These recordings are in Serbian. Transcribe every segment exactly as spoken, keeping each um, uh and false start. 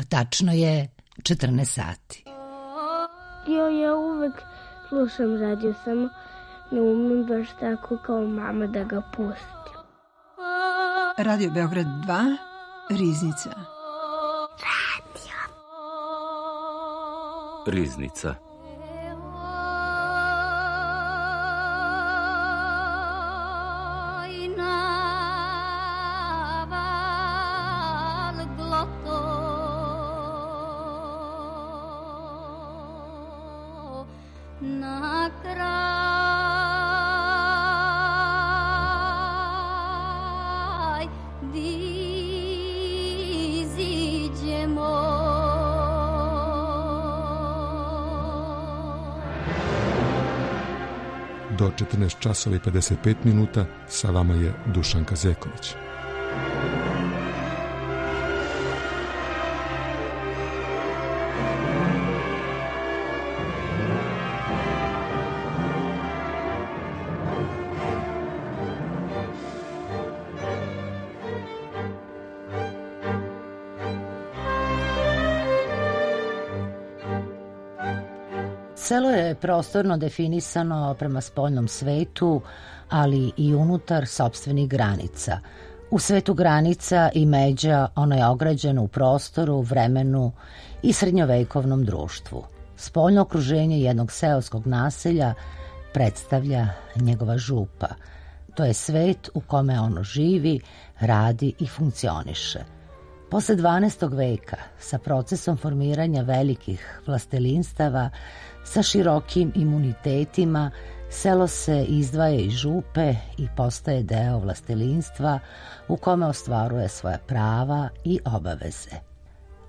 Tačno je četrnaest sati. Jo, ja uvek slušam radio, samo ne umem baš tako kao mama da ga pustim. Radio Beograd dva, Riznica. Radio. Riznica. Do četrnaest časova i pedeset pet minuta sa vama je Dušanka Zeković. Selo je prostorno definisano prema spoljnom svetu, ali i unutar sopstvenih granica. U svetu granica i međa ono je ograđeno u prostoru, vremenu i srednjovekovnom društvu. Spoljno okruženje jednog seoskog naselja predstavlja njegova župa. To je svet u kome ono živi, radi i funkcioniše. Posle dvanaestog veka, sa procesom formiranja velikih vlastelinstava, sa širokim imunitetima, selo se izdvaja iz župe i postaje deo vlastelinstva u kome ostvaruje svoja prava i obaveze.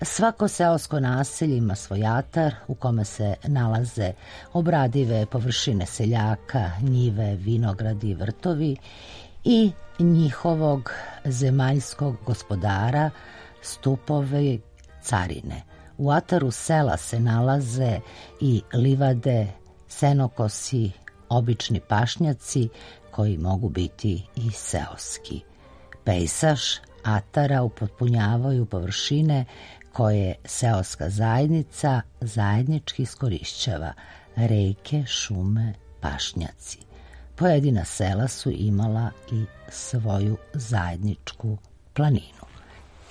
Svako seosko naselje ima svoj atar u kome se nalaze obradive površine seljaka, njive, vinogradi i vrtovi i njihovog zemaljskog gospodara, stupove carine. U ataru sela se nalaze i livade, senokosi, obični pašnjaci koji mogu biti i seoski. Pejsaž atara upotpunjavaju površine koje seoska zajednica zajednički iskorišćava, reke, šume, pašnjaci. Pojedina sela su imala i svoju zajedničku planinu.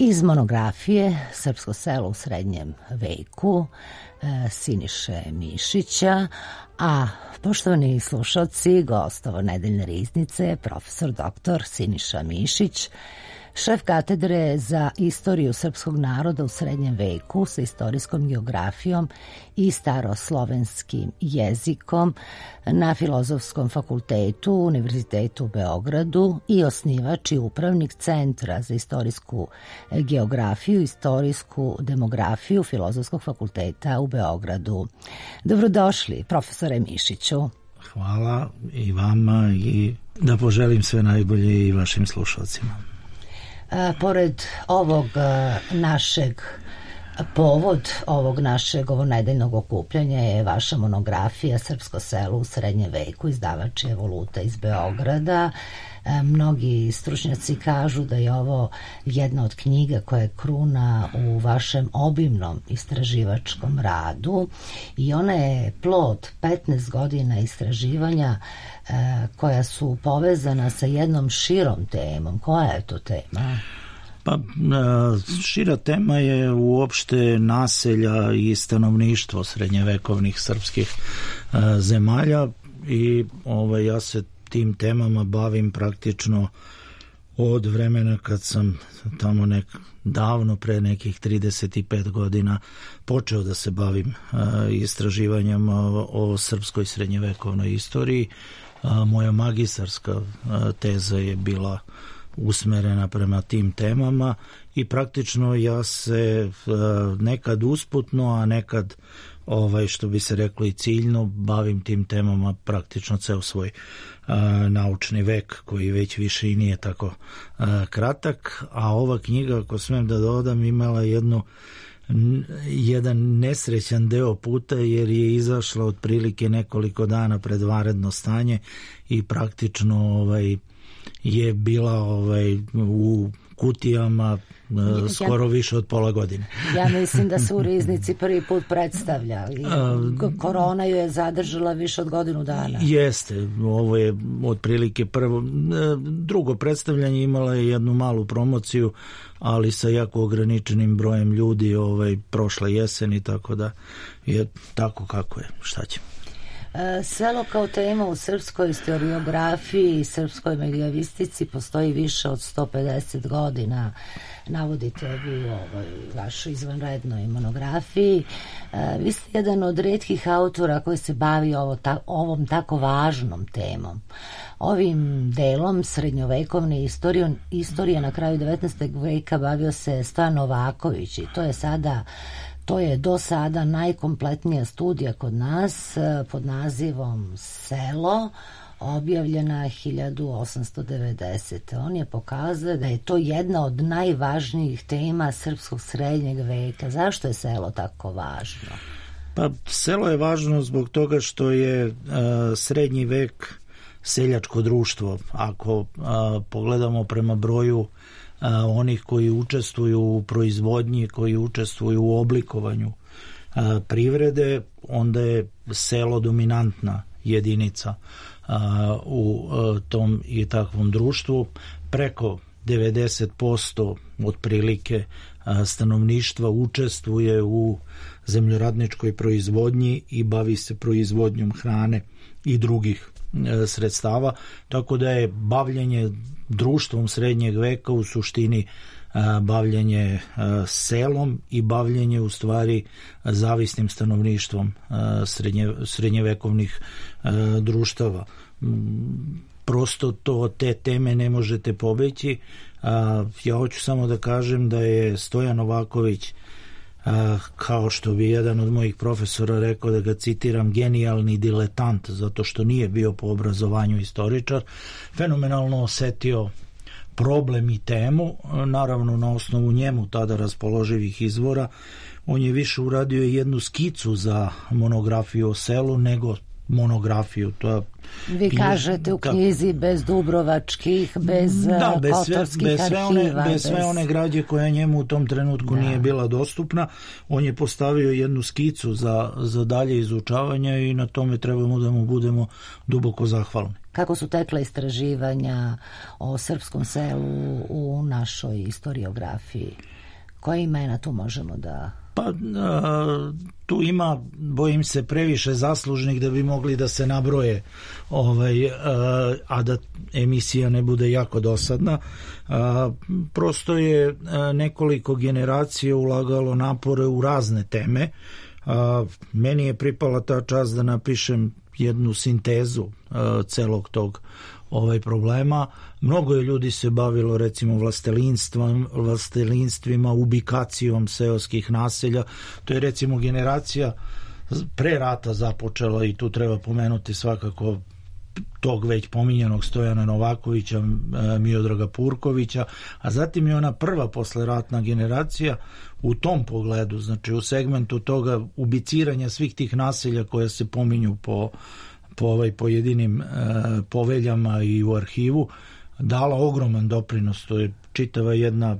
Iz monografije Srpsko selo u srednjem veku Siniše Mišića, a poštovani slušalci, gostovo nedeljne riznice, profesor doktor Siniša Mišić, šef katedre za istoriju srpskog naroda u srednjem veku sa istorijskom geografijom i staroslovenskim jezikom na Filozofskom fakultetu Univerzitetu u Beogradu i osnivač i upravnik Centra za istorijsku geografiju i istorijsku demografiju Filozofskog fakulteta u Beogradu. Dobrodošli, profesore Mišiću. Hvala i vama i da poželim sve najbolje i vašim slušalcima. Pored ovog našeg povod ovog našeg ovo nedeljnog okupljanja je vaša monografija Srpsko selo u srednjem veku, izdavač je Evoluta iz Beograda. Mnogi stručnjaci kažu da je ovo jedna od knjiga koja je kruna u vašem obimnom istraživačkom radu i ona je plod petnaest godina istraživanja koja su povezana sa jednom širom temom. Koja je to tema? Pa, šira tema je uopšte naselja i stanovništvo srednjevekovnih srpskih zemalja i ovaj, ja se tim temama bavim praktično od vremena kad sam tamo nek, davno pre nekih trideset pet godina počeo da se bavim istraživanjem o, o srpskoj srednjevekovnoj istoriji. Moja magistarska teza je bila usmerena prema tim temama i praktično ja se nekad usputno, a nekad ovaj, što bi se reklo i ciljno, bavim tim temama praktično ceo svoj a, naučni vek, koji već više i nije tako a, kratak, a ova knjiga, ako smem da dodam, imala jednu jedan nesrećan deo puta jer je izašla otprilike nekoliko dana pred vanredno stanje i praktično ovaj je bila ovaj, u kutijama uh, skoro više od pola godine. Ja mislim da se u Riznici prvi put predstavlja. Korona ju je zadržala više od godinu dana. Jeste, ovo je otprilike prvo. Drugo predstavljanje imala je jednu malu promociju, ali sa jako ograničenim brojem ljudi ovaj, prošle jeseni, tako da je tako kako je. Šta će? Selo kao tema u srpskoj historiografiji i srpskoj medievistici postoji više od sto pedeset godina. Navodite vi u ovoj vašoj izvanrednoj monografiji. Vi ste jedan od retkih autora koji se bavi ovo, ta, ovom tako važnom temom. Ovim delom srednjovekovne istorije, istorije na kraju devetnaestog veka bavio se Stojan Novaković i to je sada To je do sada najkompletnija studija kod nas pod nazivom Selo, objavljena hiljadu osamsto devedesete. On je pokazao da je to jedna od najvažnijih tema srpskog srednjeg veka. Zašto je selo tako važno? Pa selo je važno zbog toga što je uh, srednji vek seljačko društvo. Ako uh, pogledamo prema broju A, onih koji učestvuju u proizvodnji, koji učestvuju u oblikovanju a, privrede, onda je selo dominantna jedinica a, u a, tom i takvom društvu. Preko devedeset posto otprilike a, stanovništva učestvuje u zemljoradničkoj proizvodnji i bavi se proizvodnjom hrane i drugih a, sredstava, tako da je bavljenje društvom srednjeg veka u suštini a, bavljenje a, selom i bavljenje u stvari a, zavisnim stanovništvom a, srednje, srednjevekovnih a, društava. Prosto to te teme ne možete pobeći. A, ja hoću samo da kažem da je Stojan Novaković, a, kao što bi jedan od mojih profesora rekao, da ga citiram, genijalni diletant, zato što nije bio po obrazovanju istoričar, fenomenalno osetio problem i temu, naravno na osnovu njemu tada raspoloživih izvora. On je više uradio jednu skicu za monografiju o selu nego monografiju. To vi kažete u knjizi bez dubrovačkih, bez da, bez kotorskih sve, bez sve arhiva. One, bez, bez sve one građe koja njemu u tom trenutku da. nije bila dostupna. On je postavio jednu skicu za, za dalje izučavanje i na tome trebamo da mu budemo duboko zahvalni. Kako su tekla istraživanja o srpskom selu u našoj historiografiji? Koje imena tu možemo da... Pa a, tu ima, bojim se, previše zaslužnih da bi mogli da se nabroje, ovaj, a, a da emisija ne bude jako dosadna. A, prosto je a, nekoliko generacija ulagalo napore u razne teme. A, meni je pripala ta čast da napišem jednu sintezu a, celog tog ovaj problema. Mnogo je ljudi se bavilo recimo vlastelinstvima, vlastelinstvima, ubikacijom seoskih naselja. To je recimo generacija pre rata započela i tu treba pomenuti svakako tog već pominjanog Stojana Novakovića, Miodraga Purkovića, a zatim je ona prva posleratna generacija u tom pogledu, znači u segmentu toga ubiciranja svih tih naselja koja se pominju po po ovaj pojedinim e, poveljama i u arhivu, dala ogroman doprinos. To je čitava jedna, e,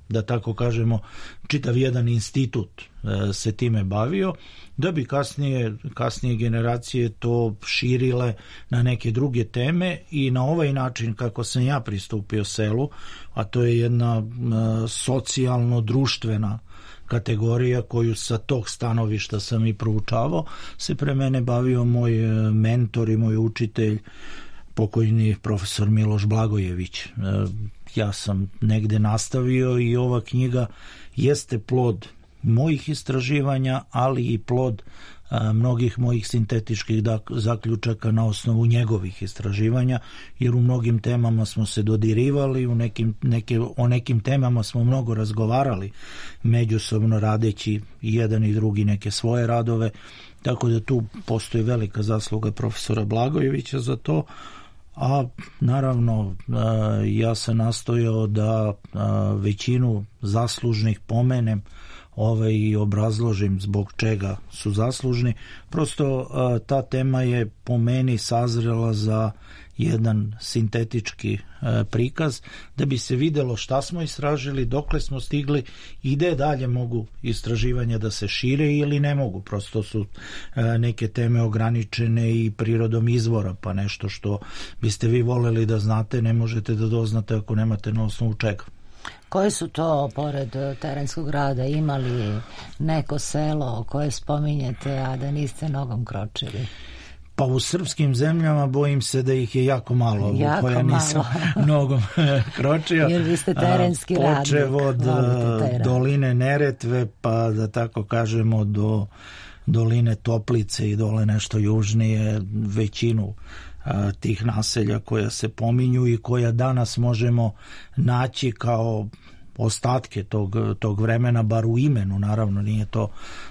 da tako kažemo, čitav jedan institut e, se time bavio, da bi kasnije, kasnije generacije to širile na neke druge teme i na ovaj način kako sam ja pristupio selu, a to je jedna e, socijalno-društvena kategorija koju sa tog stanovišta sam i proučavao, se pre mene bavio moj mentor i moj učitelj, pokojni profesor Miloš Blagojević. Ja sam negde nastavio i ova knjiga jeste plod mojih istraživanja, ali i plod a, mnogih mojih sintetičkih zaključaka na osnovu njegovih istraživanja, jer u mnogim temama smo se dodirivali, u nekim, neke, o nekim temama smo mnogo razgovarali, međusobno radeći jedan i drugi neke svoje radove, tako da tu postoji velika zasluga profesora Blagojevića za to. A naravno ja sam nastojao da većinu zaslužnih pomenem ovaj, i obrazložim zbog čega su zaslužni. Prosto ta tema je po meni sazrela za jedan sintetički prikaz da bi se videlo šta smo istražili, dokle smo stigli i gde dalje mogu istraživanja da se šire ili ne mogu. Prosto su neke teme ograničene i prirodom izvora, pa nešto što biste vi voleli da znate ne možete da doznate ako nemate na osnovu čega. Koje su to, pored Terenskog rada, imali neko selo koje spominjete, a da niste nogom kročili? Pa u srpskim zemljama bojim se da ih je jako malo, jako koja nisam nogom kročio. Jer vi ste terenski radnik. Počev od doline Neretve, pa da tako kažemo do doline Toplice i dole nešto južnije, većinu a, tih naselja koja se pominju i koja danas možemo naći kao ostatke tog, tog vremena, bar u imenu, naravno nije to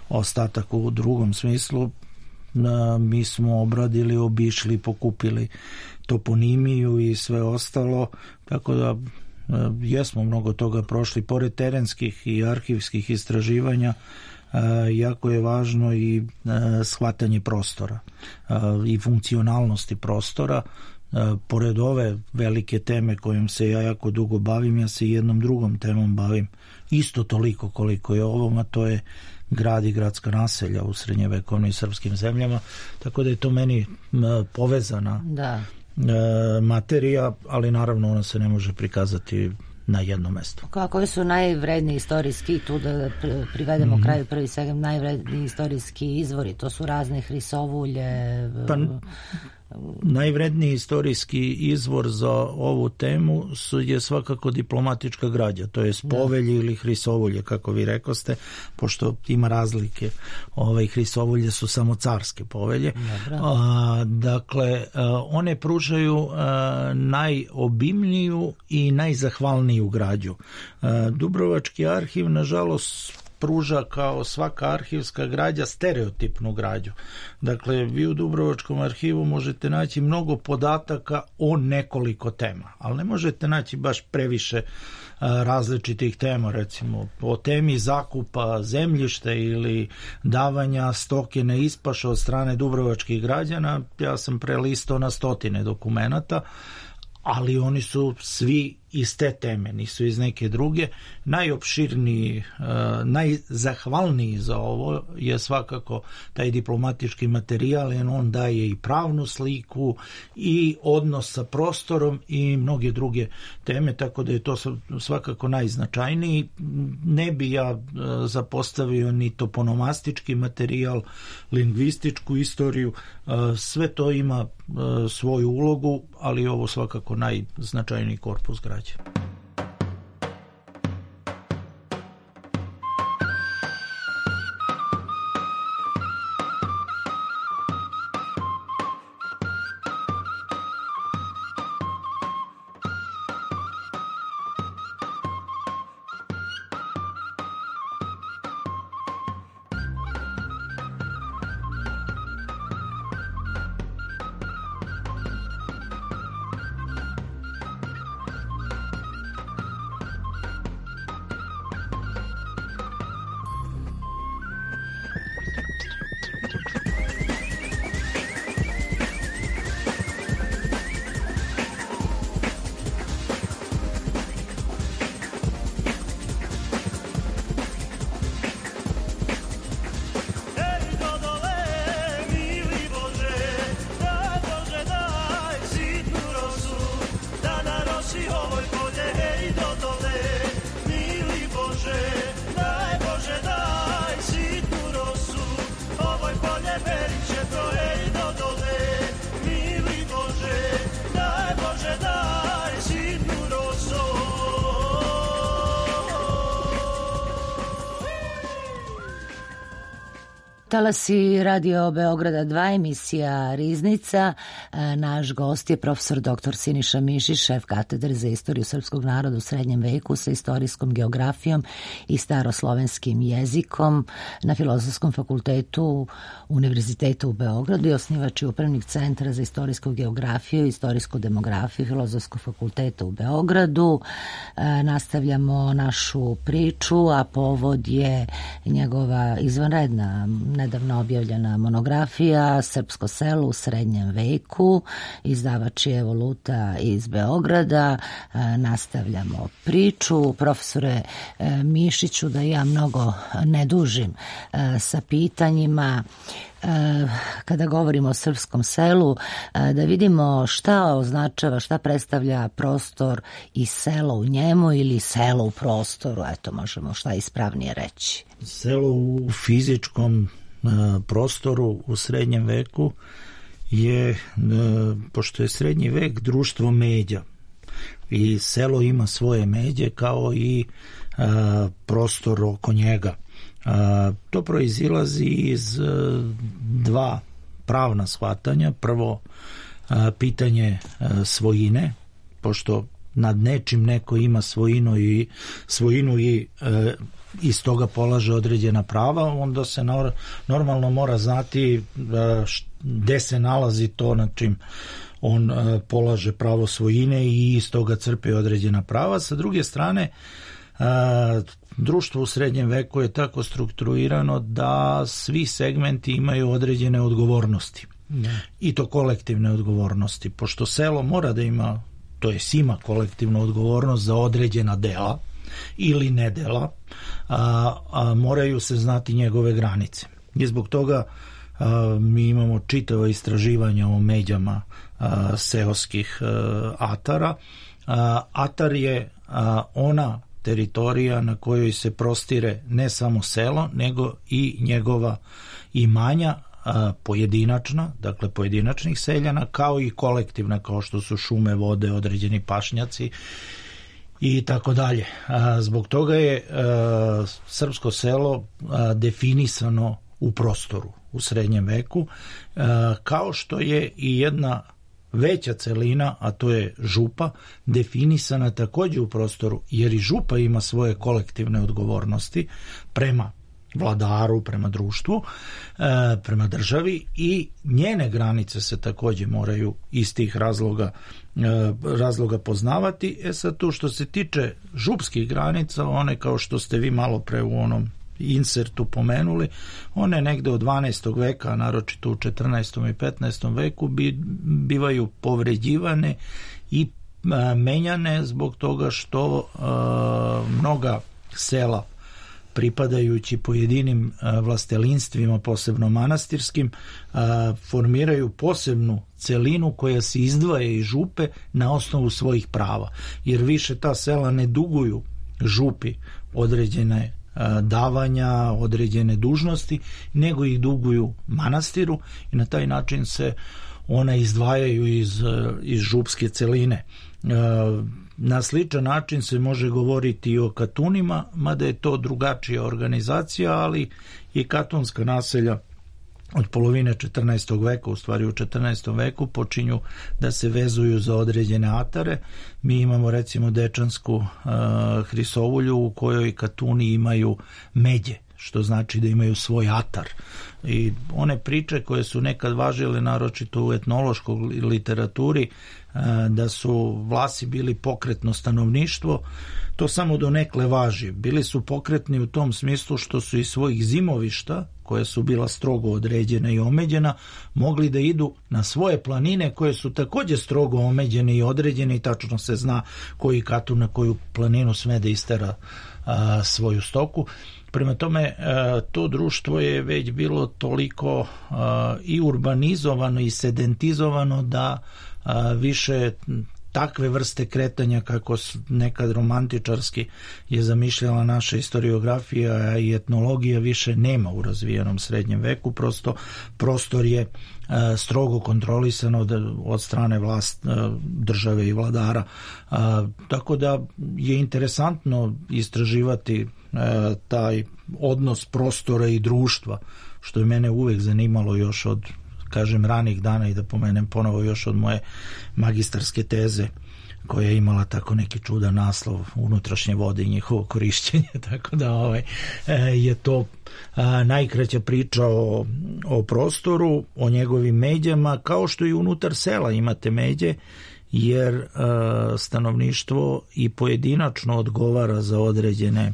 ostatak u drugom smislu. Mi smo obradili, obišli, pokupili toponimiju i sve ostalo, tako da jesmo mnogo toga prošli. Pored terenskih i arhivskih istraživanja, jako je važno i shvatanje prostora i funkcionalnosti prostora. Pored ove velike teme kojom se ja jako dugo bavim, ja se jednom drugom temom bavim isto toliko koliko je ovom, a to je grad i gradska naselja u srednjevekovnim srpskim zemljama, tako da je to meni povezana da. materija, ali naravno ona se ne može prikazati na jednom mestu. Koji su najvredniji istorijski, tu da privedemo mm-hmm. kraju prvi svega, najvredniji istorijski izvori, to su razne hrisovulje? Pa, najvredniji istorijski izvor za ovu temu su, je svakako diplomatička građa, to je povelje ili hrisovulje, kako vi rekoste, pošto ima razlike. Ove hrisovulje su samo carske povelje. A, dakle, a, one pružaju a, najobimniju i najzahvalniju građu. A, Dubrovački arhiv, nažalost, pruža kao svaka arhivska građa stereotipnu građu. Dakle, vi u Dubrovačkom arhivu možete naći mnogo podataka o nekoliko tema, ali ne možete naći baš previše a, različitih tema, recimo o temi zakupa zemljišta ili davanja stoke na ispašu od strane dubrovačkih građana. Ja sam prelistao na stotine dokumenata, ali oni su svi iz te teme, nisu iz neke druge. Najopširniji, najzahvalniji za ovo je svakako taj diplomatički materijal, jer on daje i pravnu sliku i odnos sa prostorom i mnoge druge teme, tako da je to svakako najznačajniji. Ne bi ja zapostavio ni toponomastički materijal, lingvističku istoriju, sve to ima svoju ulogu, ali ovo svakako najznačajniji korpus građe. talasi Radio Beograda dva, emisija Riznica. Naš gost je profesor doktor Siniša Mišić, šef katedre za istoriju srpskog naroda u srednjem veku sa istorijskom geografijom i staroslovenskim jezikom na Filozofskom fakultetu Univerziteta u Beogradu i osnivač i upravnik Centra za istorijsku geografiju i istorijsku demografiju Filozofskog fakulteta u Beogradu. Nastavljamo našu priču, a povod je njegova izvanredna, nedavno objavljena monografija Srpsko selo u srednjem veku. Izdavač je Evoluta iz Beograda. Nastavljamo priču. Profesore Mišiću, da ja mnogo ne dužim sa pitanjima, kada govorimo o srpskom selu, da vidimo šta označava, šta predstavlja prostor i selo u njemu ili selo u prostoru, eto možemo šta ispravnije reći. Selo u fizičkom prostoru u srednjem veku je, pošto je srednji vek društvo međa i selo ima svoje međe kao i prostor oko njega. To proizilazi iz dva pravna shvatanja. Prvo, pitanje svojine, pošto nad nečim neko ima svojinu i svojinu i iz toga polaže određena prava, onda se normalno mora znati gde se nalazi to nad čim on polaže pravo svojine i iz toga crpe određena prava. Sa druge strane, društvo u srednjem veku je tako strukturirano da svi segmenti imaju određene odgovornosti. Ne. I to kolektivne odgovornosti. Pošto selo mora da ima, to jest ima kolektivnu odgovornost za određena dela ili nedela, a, a moraju se znati njegove granice. I zbog toga a, mi imamo čitava istraživanja o međama a, seoskih a, atara. A, atar je a, ona teritorija na kojoj se prostire ne samo selo, nego i njegova imanja, a, pojedinačna, dakle pojedinačnih seljana, kao i kolektivna, kao što su šume, vode, određeni pašnjaci i tako dalje. Zbog toga je a, srpsko selo a, definisano u prostoru u srednjem veku, a, kao što je i jedna veća celina, a to je župa, definisana također u prostoru, jer i župa ima svoje kolektivne odgovornosti prema vladaru, prema društvu, prema državi, i njene granice se također moraju iz tih razloga, razloga poznavati. E sad, tu što se tiče župskih granica, one, kao što ste vi malo pre u onom insertu pomenuli, one negde od dvanaestog veka, naročito u četrnaestom i petnaestom veku, bi, bivaju povređivane i a, menjane zbog toga što a, mnoga sela, pripadajući pojedinim a, vlastelinstvima, posebno manastirskim, a, formiraju posebnu celinu koja se izdvaja iz župe na osnovu svojih prava, jer više ta sela ne duguju župi određene davanja, određene dužnosti, nego ih duguju manastiru i na taj način se ona izdvajaju iz, iz župske celine. Na sličan način se može govoriti i o katunima, mada je to drugačija organizacija, ali i katunska naselja od polovine četrnaestog veka, u stvari u četrnaestom veku, počinju da se vezuju za određene atare. Mi imamo recimo Dečansku uh, Hrisovulju u kojoj katuni imaju međe, što znači da imaju svoj atar. I one priče koje su nekad važile, naročito u etnološkoj literaturi, uh, da su Vlasi bili pokretno stanovništvo, to samo donekle važi. Bili su pokretni u tom smislu što su iz svojih zimovišta, koja su bila strogo određena i omeđena, mogli da idu na svoje planine koje su također strogo omeđene i određene, i tačno se zna koji katun na koju planinu sme da istera a, svoju stoku. Prema tome, a, to društvo je već bilo toliko a, i urbanizovano i sedentizovano da a, više takve vrste kretanja kako nekad romantičarski je zamišljala naša historiografija i etnologija više nema u razvijenom srednjem veku. Prosto prostor je a, strogo kontrolisan od, od strane vlast, a, države i vladara. A, tako da je interesantno istraživati a, taj odnos prostora i društva što je mene uvek zanimalo još od, kažem, ranih dana i da pomenem ponovo još od moje magistarske teze, koja je imala tako neki čudan naslov unutrašnje vode i njihovo korišćenje, tako da ovaj, je to a, najkraća priča o, o prostoru, o njegovim međama, kao što i unutar sela imate međe, jer a, stanovništvo i pojedinačno odgovara za određene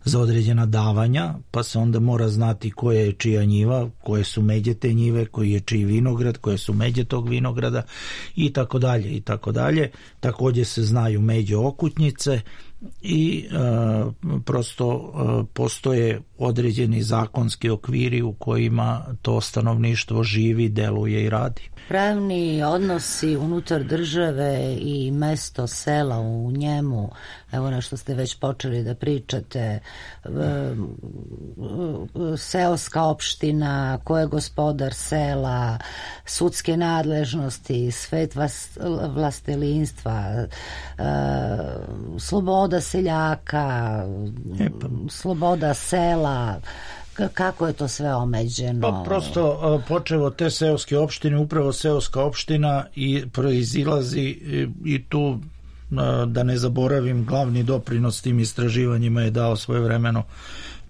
za određena davanja, pa se onda mora znati koja je čija njiva, koje su međe te njive, koji je čiji vinograd, koje su međe tog vinograda i tako dalje i tako dalje. Također se znaju međe okutnjice i uh, prosto uh, postoje određeni zakonski okviri u kojima to stanovništvo živi, deluje i radi. Pravni odnosi unutar države i mesto, sela u njemu, evo nešto ste već počeli da pričate, seoska opština, ko je gospodar sela, sudske nadležnosti, svet vlastelinstva, sloboda seljaka, Epa. sloboda sela, kako je to sve omeđeno? Pa prosto počevo te seoske opštine, upravo seoska opština i proizilazi i, i tu da ne zaboravim, glavni doprinos tim istraživanjima je dao svojevremeno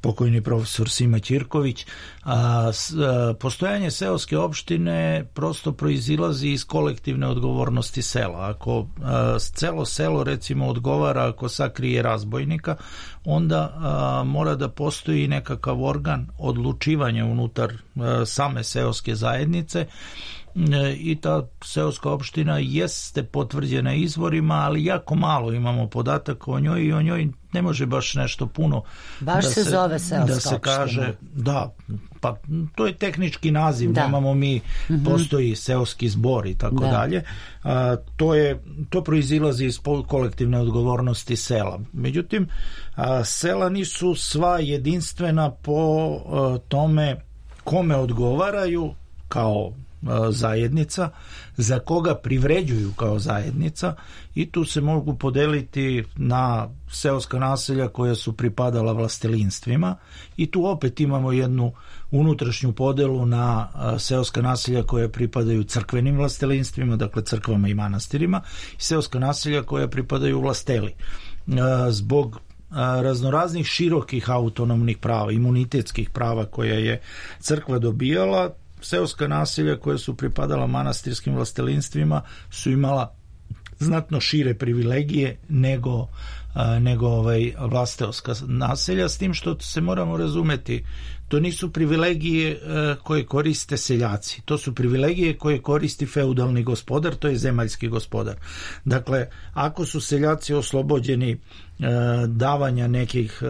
pokojni profesor Sima Ćirković. A, a, postojanje seoske opštine prosto proizilazi iz kolektivne odgovornosti sela. Ako a, celo selo recimo odgovara ako sakrije razbojnika, onda a, mora da postoji nekakav organ odlučivanja unutar a, same seoske zajednice i ta seoska opština jeste potvrđena izvorima, ali jako malo imamo podataka o njoj i o njoj ne može baš nešto puno baš da se, se zove seoska da se opština. kaže, da, pa to je tehnički naziv, da. Nemamo mi, mm-hmm. postoji seoski zbor i tako da. dalje. A, to je, to proizilazi iz kolektivne odgovornosti sela. Međutim, a, sela nisu sva jedinstvena po a, tome kome odgovaraju kao zajednica, za koga privređuju kao zajednica i tu se mogu podeliti na seoska naselja koja su pripadala vlastelinstvima i tu opet imamo jednu unutrašnju podelu na seoska naselja koja pripadaju crkvenim vlastelinstvima, dakle crkvama i manastirima, i seoska naselja koja pripadaju vlasteli. Zbog raznoraznih širokih autonomnih prava, imunitetskih prava koja je crkva dobijala, seoska naselja koja su pripadala manastirskim vlastelinstvima su imala znatno šire privilegije nego, a, nego ovaj vlasteoska naselja, s tim što se moramo razumeti, to nisu privilegije a, koje koriste seljaci, to su privilegije koje koristi feudalni gospodar, to je zemaljski gospodar. Dakle, ako su seljaci oslobođeni davanja nekih,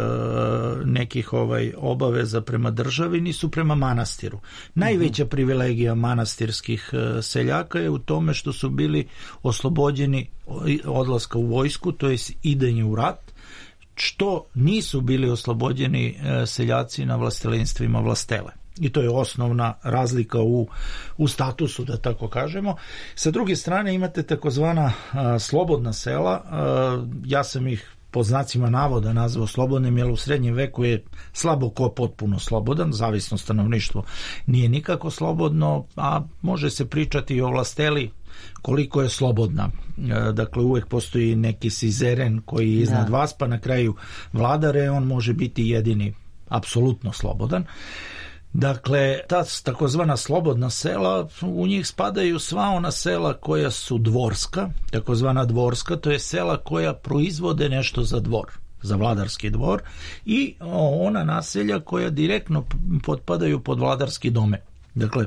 nekih ovaj obaveza prema državi, nisu prema manastiru. Najveća privilegija manastirskih seljaka je u tome što su bili oslobođeni odlaska u vojsku, to je idenje u rat, što nisu bili oslobođeni seljaci na vlastelinstvima vlastele. I to je osnovna razlika u, u statusu, da tako kažemo. Sa druge strane imate takozvana a, slobodna sela, a, ja sam ih po znacima navoda nazvao slobodnim, jer u srednjem veku je slabo ko potpuno slobodan, zavisno stanovništvo nije nikako slobodno, a može se pričati i o vlasteli koliko je slobodna. Dakle, uvek postoji neki sizeren koji je iznad da. vas, pa na kraju vladare, on može biti jedini apsolutno slobodan. Dakle, ta takozvana slobodna sela, u njih spadaju sva ona sela koja su dvorska, takozvana dvorska, to je sela koja proizvode nešto za dvor, za vladarski dvor, i ona naselja koja direktno potpadaju pod vladarski domen. Dakle,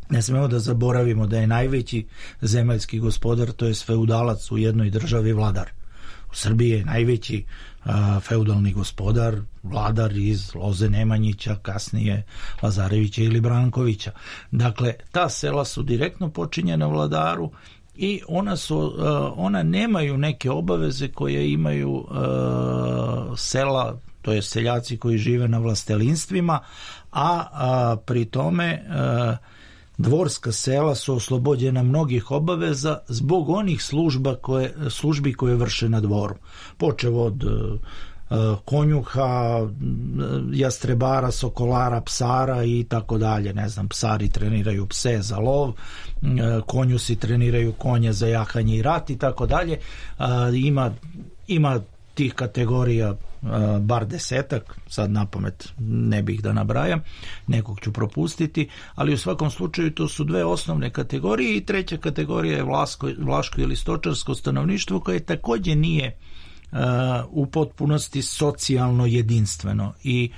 ne smemo da zaboravimo da je najveći zemaljski gospodar, to je feudalac u jednoj državi vladar. U Srbiji je najveći a, feudalni gospodar, vladar iz Loze Nemanjića, kasnije Lazarevića ili Brankovića. Dakle, ta sela su direktno počinjena vladaru i ona, su, a, ona nemaju neke obaveze koje imaju a, sela, to je seljaci koji žive na vlastelinstvima, a, a pri tome a, dvorska sela su oslobođena mnogih obaveza zbog onih služba koje, službi koje vrše na dvoru. Počev od konjuha, jastrebara, sokolara, psara i tako dalje. Ne znam, psari treniraju pse za lov, konjusi treniraju konje za jahanje i rat i tako dalje. Ima, ima tih kategorija bar desetak, sad napamet ne bih da nabrajam, nekog ću propustiti, ali u svakom slučaju to su dve osnovne kategorije i treća kategorija je vlaško, vlaško ili stočarsko stanovništvo koje također nije uh, u potpunosti socijalno jedinstveno. I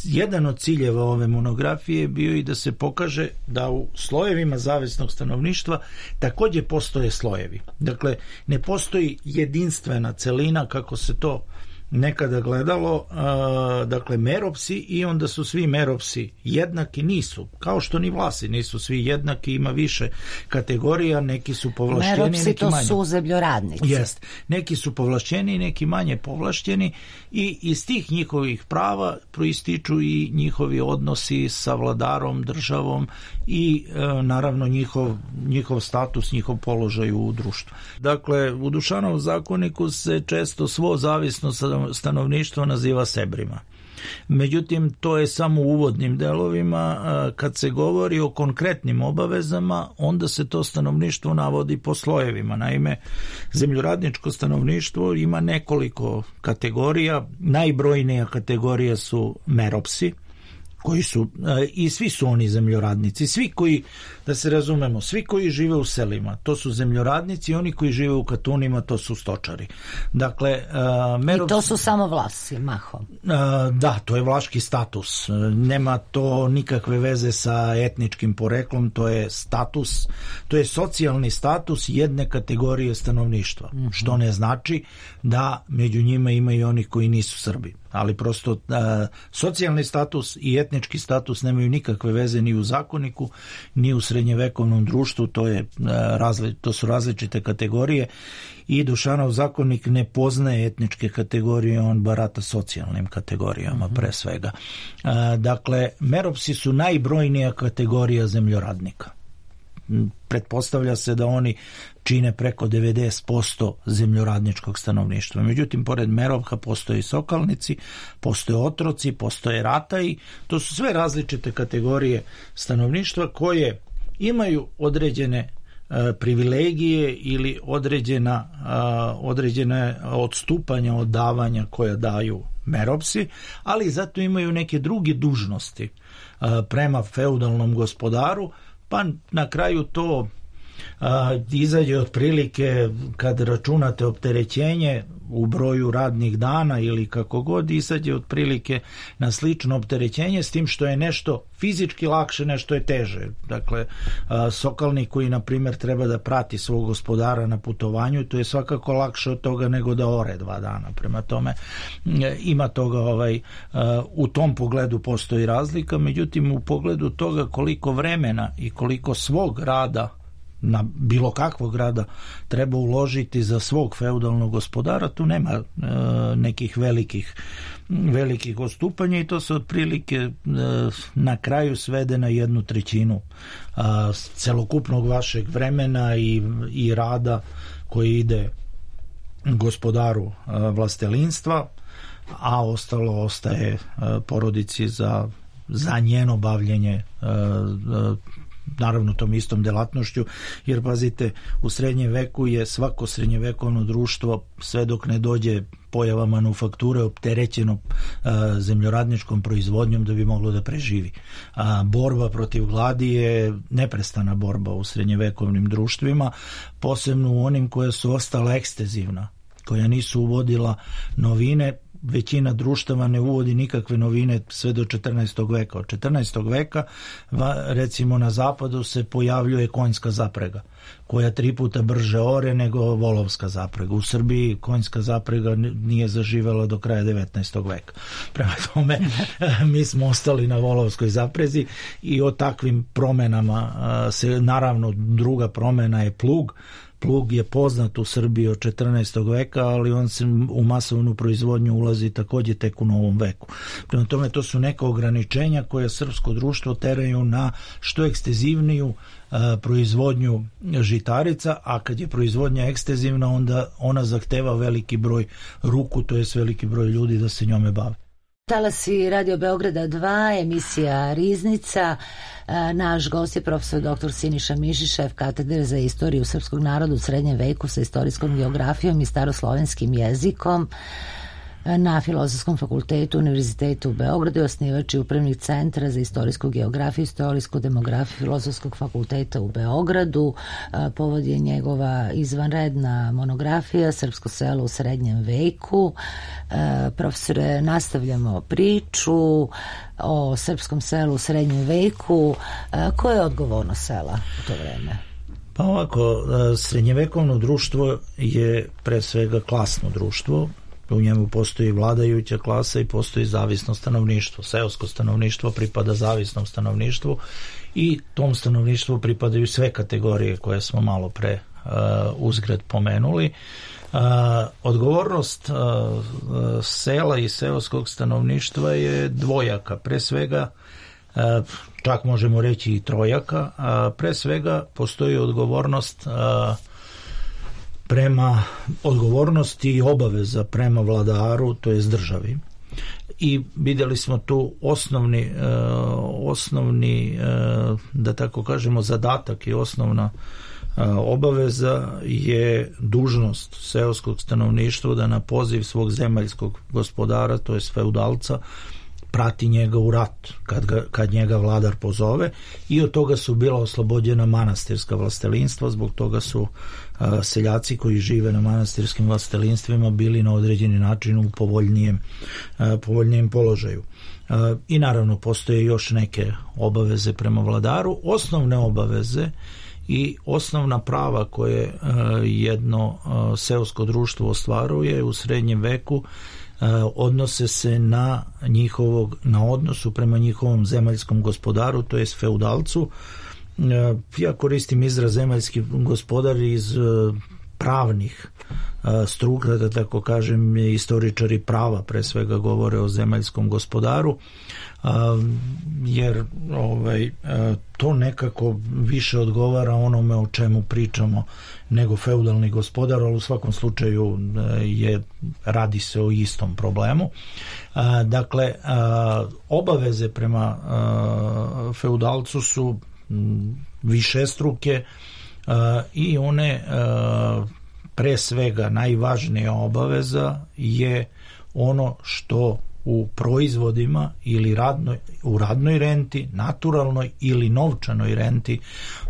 jedan od ciljeva ove monografije je bio i da se pokaže da u slojevima zavisnog stanovništva također postoje slojevi. Dakle, ne postoji jedinstvena celina kako se to nekada gledalo, uh, dakle meropsi i onda su svi meropsi jednaki, nisu, kao što ni Vlasi nisu svi jednaki, ima više kategorija, neki su povlašćeni, meropsi neki to manje. Su zemljoradnici. Jest, neki su povlašćeni, neki manje povlašćeni i iz tih njihovih prava proističu i njihovi odnosi sa vladarom, državom i uh, naravno njihov, njihov status, njihov položaj u društvu. Dakle, u Dušanovom zakoniku se često svo zavisno stanovništvo naziva sebrima. Međutim, to je samo u uvodnim delovima. Kad se govori o konkretnim obavezama, onda se to stanovništvo navodi po slojevima. Naime, zemljoradničko stanovništvo ima nekoliko kategorija. Najbrojnija kategorija su meropsi, koji su, i svi su oni zemljoradnici, svi koji, da se razumemo, svi koji žive u selima, to su zemljoradnici, oni koji žive u katunima, to su stočari. Dakle, merops... I to su samo Vlasi, mahom. Da, to je vlaški status. Nema to nikakve veze sa etničkim poreklom, to je status, to je socijalni status jedne kategorije stanovništva, mm-hmm. što ne znači da među njima ima i onih koji nisu Srbi. Ali prosto uh, socijalni status i etnički status nemaju nikakve veze ni u zakoniku, ni u srednjevekovnom društvu, to, je, uh, razli, to su različite kategorije i Dušanov zakonik ne poznaje etničke kategorije, on barata socijalnim kategorijama pre svega. Uh, dakle, meropsi su najbrojnija kategorija zemljoradnika. Pretpostavlja se da oni čine preko devedeset posto zemljoradničkog stanovništva. Međutim, pored merovka postoje i sokalnici, postoje otroci, postoje rataji. To su sve različite kategorije stanovništva koje imaju određene e, privilegije ili određena, a, određene odstupanja od davanja koje daju meropsi, ali zato imaju neke druge dužnosti a, prema feudalnom gospodaru, pa na kraju to a, izađe otprilike, kad računate opterećenje u broju radnih dana ili kako god, izađe otprilike na slično opterećenje, s tim što je nešto fizički lakše, nešto je teže. Dakle, a, sokalnik koji na primjer treba da prati svog gospodara na putovanju, to je svakako lakše od toga nego da ore dva dana. Prema tome ima toga, ovaj, a, u tom pogledu postoji razlika, međutim u pogledu toga koliko vremena i koliko svog rada, na bilo kakvog rada, treba uložiti za svog feudalnog gospodara, tu nema e, nekih velikih velikih odstupanja i to se otprilike e, na kraju svede na jednu trećinu e, celokupnog vašeg vremena i, i rada koji ide gospodaru e, vlastelinstva, a ostalo ostaje e, porodici za, za njeno bavljenje e, e, naravno tom istom delatnošću, jer pazite, u srednjem veku je svako srednjevekovno društvo, sve dok ne dođe pojava manufakture, opterećeno a, zemljoradničkom proizvodnjom da bi moglo da preživi. A, borba protiv gladi je neprestana borba u srednjevekovnim društvima, posebno u onim koje su ostala ekstenzivna, koja nisu uvodila novine. Većina društava ne uvodi nikakve novine sve do četrnaestog veka. Od četrnaestog veka recimo na zapadu se pojavljuje konjska zaprega, koja tri puta brže ore nego volovska zaprega. U Srbiji konjska zaprega nije zaživela do kraja devetnaestog veka. Prema tome mi smo ostali na volovskoj zaprezi i o takvim promenama se, naravno druga promena je plug. plug je poznat u Srbiji od četrnaestog veka, ali on se u masovnu proizvodnju ulazi također tek u novom veku. Prema tome, to su neka ograničenja koje srpsko društvo teraju na što ekstenzivniju a, proizvodnju žitarica, a kad je proizvodnja ekstenzivna, onda ona zahteva veliki broj ruku, to je veliki broj ljudi da se njome bave. Talasi Radio Beograda dva, emisija Riznica. Naš gost je profesor doktor Siniša Mišić, šef katedre za istoriju srpskog naroda u srednjem veku sa istorijskom geografijom i staroslovenskim jezikom na Filozofskom fakultetu Univerzitetu u Beogradu, osnivač i upravnik Centra za istorijsku geografiju i istorijsku demografiju Filozofskog fakulteta u Beogradu. Povod je njegova izvanredna monografija Srpsko selo u srednjem veku. Profesore, nastavljamo priču o srpskom selu u srednjem veku. Koja je odgovornost sela u to vreme? Pa ovako, srednjevekovno društvo je pre svega klasno društvo. U njemu postoji vladajuća klasa i postoji zavisno stanovništvo. Seosko stanovništvo pripada zavisnom stanovništvu i tom stanovništvu pripadaju sve kategorije koje smo malo pre uh, uzgred pomenuli. Uh, odgovornost uh, sela i seoskog stanovništva je dvojaka. Pre svega, uh, čak možemo reći i trojaka, a pre svega postoji odgovornost uh, prema odgovornosti i obaveza prema vladaru, to jest državi. I vidjeli smo tu osnovni, uh, osnovni uh, da tako kažemo, zadatak i osnovna uh, obaveza je dužnost seoskog stanovništva da na poziv svog zemaljskog gospodara, to jest feudalca, prati njega u rat kad, ga, kad njega vladar pozove, i od toga su bila oslobođena manastirska vlastelinstva. Zbog toga su a, seljaci koji žive na manastirskim vlastelinstvima bili na određeni način u povoljnijem, a, povoljnijem položaju. A, I naravno postoje još neke obaveze prema vladaru. Osnovne obaveze i osnovna prava koje a, jedno a, seosko društvo ostvaruje u srednjem veku odnose se na njihovog, na odnosu prema njihovom zemaljskom gospodaru, to jest feudalcu. Ja koristim izraz zemaljski gospodar iz pravnih struka, da tako kažem, istoričari prava pre svega govore o zemaljskom gospodaru, jer ovaj, to nekako više odgovara onome o čemu pričamo nego feudalni gospodar, ali u svakom slučaju je, radi se o istom problemu. Dakle, obaveze prema feudalcu su višestruke i one pre svega najvažnija obaveza je ono što u proizvodima ili radnoj, u radnoj renti, naturalnoj ili novčanoj renti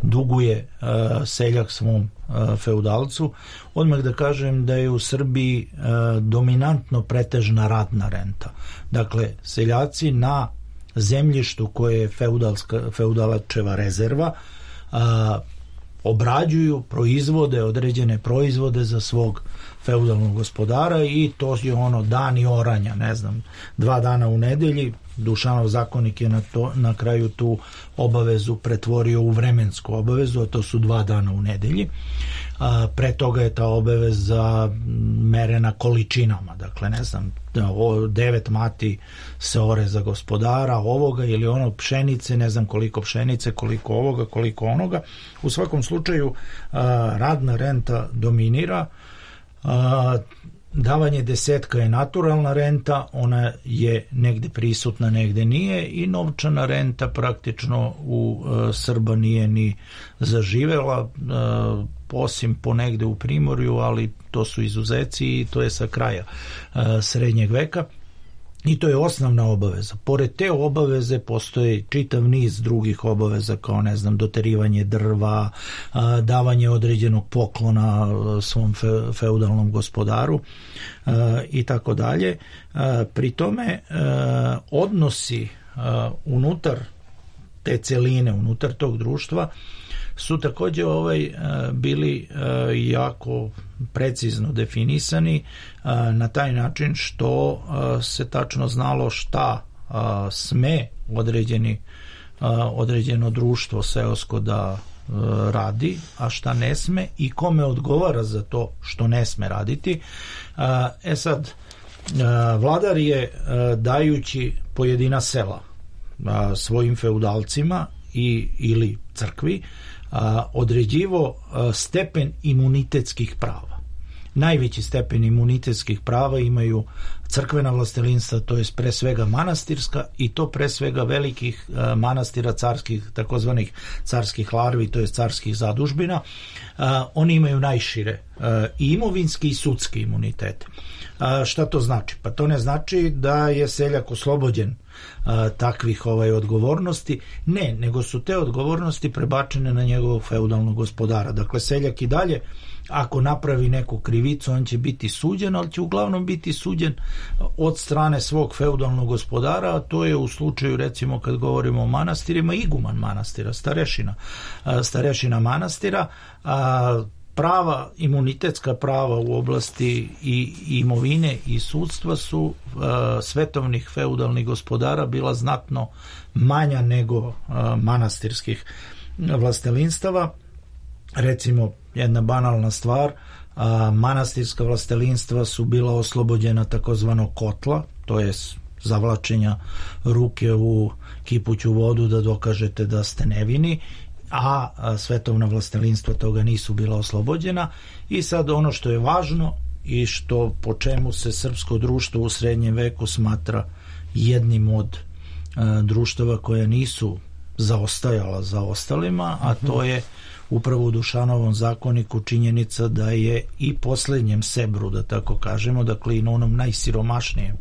duguje uh, seljak svom uh, feudalcu. Odmah da kažem da je u Srbiji uh, dominantno pretežna radna renta. Dakle, seljaci na zemljištu koje je feudalska, feudalačeva rezerva uh, obrađuju, proizvode određene proizvode za svog feudalnog gospodara, i to je ono dani oranja, ne znam, dva dana u nedelji. Dušanov zakonik je na, to, na kraju tu obavezu pretvorio u vremensku obavezu, a to su dva dana u nedelji. A, pre toga je ta obaveza merena količinama, dakle ne znam, devet mati se ore za gospodara ovoga ili ono, pšenice, ne znam koliko pšenice, koliko ovoga, koliko onoga. U svakom slučaju a, radna renta dominira. A, davanje desetka je naturalna renta, ona je negde prisutna, negde nije, i novčana renta praktično u a, Srba nije ni zaživela, a, osim ponegde u Primorju, ali to su izuzeci i to je sa kraja a, srednjeg veka. I to je osnovna obaveza. Pored te obaveze postoje čitav niz drugih obaveza, kao ne znam, doterivanje drva, a, davanje određenog poklona a, svom fe, feudalnom gospodaru a, i tako dalje. A, pri tome a, odnosi a, unutar te celine, unutar tog društva su također ovaj, bili jako precizno definisani na taj način što se tačno znalo šta sme određeni, određeno društvo seosko da radi, a šta ne sme i kome odgovara za to što ne sme raditi. E sad, vladar je dajući pojedina sela svojim feudalcima i, ili crkvi određivo stepen imunitetskih prava. Najveći stepen imunitetskih prava imaju crkvena vlastelinstva, to je pre svega manastirska, i to pre svega velikih manastira carskih, takozvanih carskih larvi, to je carskih zadužbina. Oni imaju najšire i imovinski i sudski imunitet. Šta to znači? Pa to ne znači da je seljak oslobođen takvih ovaj odgovornosti, ne, nego su te odgovornosti prebačene na njegovog feudalnog gospodara. Dakle, seljak i dalje, ako napravi neku krivicu, on će biti suđen, ali će uglavnom biti suđen od strane svog feudalnog gospodara, a to je u slučaju, recimo, kad govorimo o manastirima, iguman manastira, starešina, starešina manastira. Prava, imunitetska prava u oblasti i imovine i sudstva su uh, svetovnih feudalnih gospodara bila znatno manja nego uh, manastirskih vlastelinstava. Recimo, jedna banalna stvar, uh, manastirska vlastelinstva su bila oslobođena takozvanog kotla, to je zavlačenja ruke u kipuću vodu da dokažete da ste nevini, a svetovna vlastelinstva toga nisu bila oslobođena. I sad ono što je važno i što po čemu se srpsko društvo u srednjem veku smatra jednim od a, društava koje nisu zaostajala za ostalima, a to je upravo u Dušanovom zakoniku činjenica da je i poslednjem sebru, da tako kažemo, dakle i na onom najsiromašnijem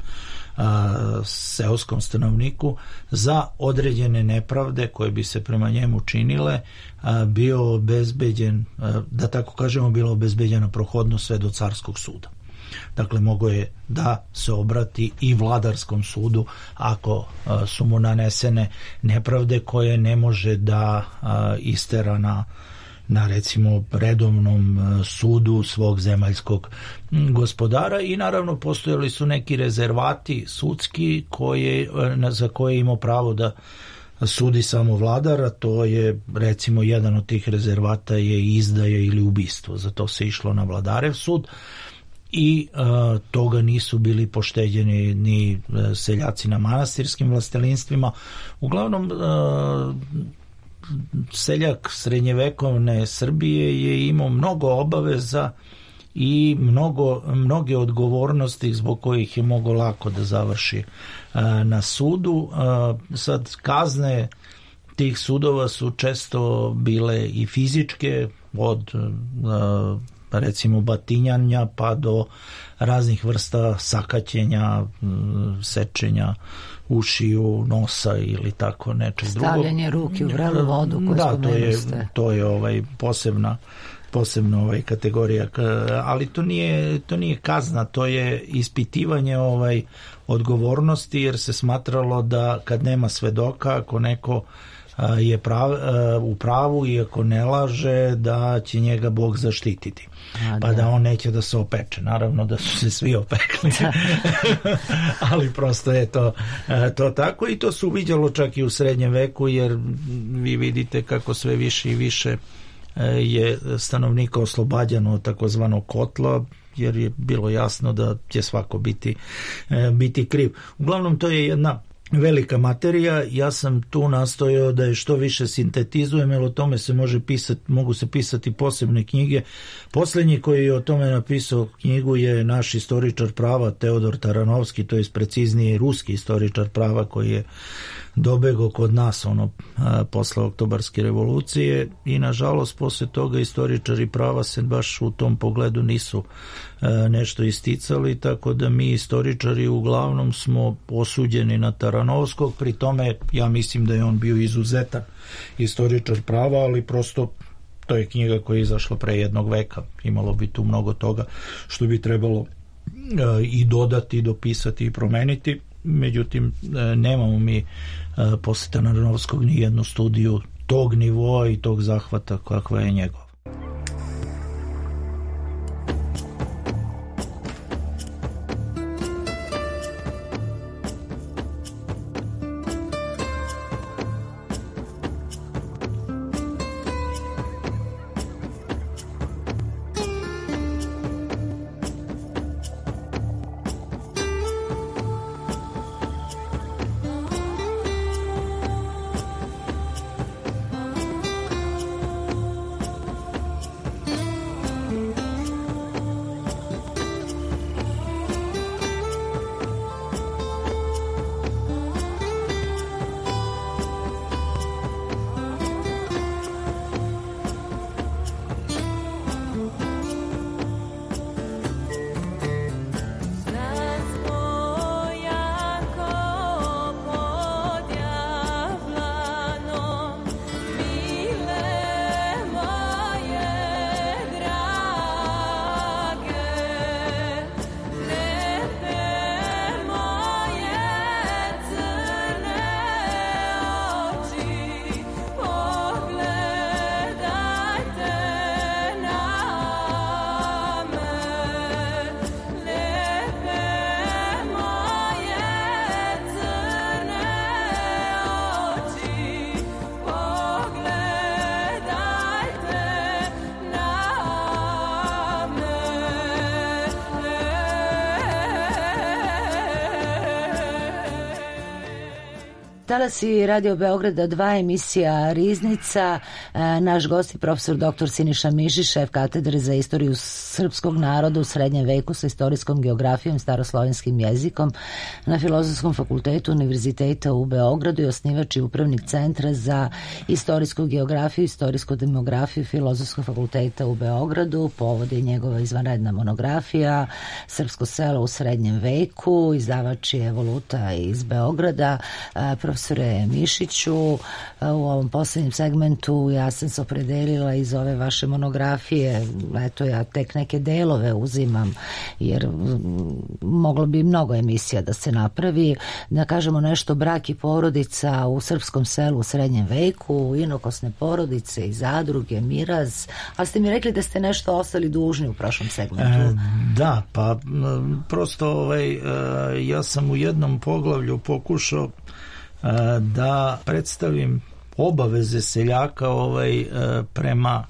a, seoskom stanovniku, za određene nepravde koje bi se prema njemu činile a, bio obezbeđen, a, da tako kažemo, bilo obezbeđena prohodnost sve do carskog suda. Dakle, mogo je da se obrati i vladarskom sudu ako a, su mu nanesene nepravde koje ne može da a, istera na na recimo redovnom sudu svog zemaljskog gospodara. I naravno postojali su neki rezervati sudski koje, za koje je imao pravo da sudi samo vladar, a to je recimo jedan od tih rezervata je izdaja ili ubistvo, za to se išlo na vladarev sud i uh, toga nisu bili pošteđeni ni uh, seljaci na manastirskim vlastelinstvima. Uglavnom uh, seljak srednjevekovne Srbije je imao mnogo obaveza i mnogo, mnoge odgovornosti zbog kojih je mogo lako da završi a, na sudu. A, sad kazne tih sudova su često bile i fizičke, od a, recimo batinjanja pa do raznih vrsta sakaćenja, sečenja ušiju, nosa ili tako nečeg drugog. Stavljanje ruke u vrelu vodu koju da, to je, ste. to je ovaj posebna posebna ovaj kategorija, ali to nije to nije kazna, to je ispitivanje ovaj odgovornosti, jer se smatralo da kad nema svedoka, ako neko je prav, u pravu i ako ne laže, da će njega Bog zaštititi. A, pa da. da on neće da se opeče. Naravno da su se svi opekli. Ali prosto je to, to tako i to se uviđalo čak i u srednjem veku, jer vi vidite kako sve više i više je stanovnika oslobađano od takozvanog kotla, jer je bilo jasno da će svako biti, biti kriv. Uglavnom to je jedna velika materija. Ja sam tu nastojao da je što više sintetizujem, jer o tome se može pisati, mogu se pisati posebne knjige. Poslednji koji je o tome napisao knjigu je naš istoričar prava Teodor Taranovski, to je preciznije ruski istoričar prava koji je dobegao kod nas ono a, posle Oktobarske revolucije, i nažalost posle toga istoričari prava se baš u tom pogledu nisu a, nešto isticali, tako da mi istoričari uglavnom smo osuđeni na Taranovskog. Pri tome ja mislim da je on bio izuzetan istoričar prava, ali prosto to je knjiga koja je izašla pre jednog veka, imalo bi tu mnogo toga što bi trebalo a, i dodati, dopisati i promeniti. Međutim, nemamo mi posle Taranovskog ni jednu studiju tog nivoa i tog zahvata kakva je njegov. Talasi Radio Beograda dva, emisija Riznica. Naš gost je profesor doktor Siniša Mišić, šef katedre za istoriju srpskog naroda u srednjem veku sa istorijskom geografijom, staroslovenskim jezikom na Filozofskom fakultetu Univerziteta u Beogradu i osnivač i upravnik Centra za istorijsku geografiju i istorijsku demografiju Filozofskog fakulteta u Beogradu. Povod je njegova izvanredna monografija Srpsko selo u srednjem veku. Izdavač je Evoluta iz Beograda. Profesore Mišiću, u ovom posljednjem segmentu ja sam se opredelila iz ove vaše monografije, eto ja tek neke delove uzimam, jer moglo bi mnogo emisija da se napravi, da kažemo nešto brak i porodica u srpskom selu u srednjem veku, inokosne porodice i zadruge, miraz, ali ste mi rekli da ste nešto ostali dužni u prošlom segmentu. E, da, pa prosto ovaj, ja sam u jednom poglavlju pokušao da predstavim obaveze seljaka ovaj, prema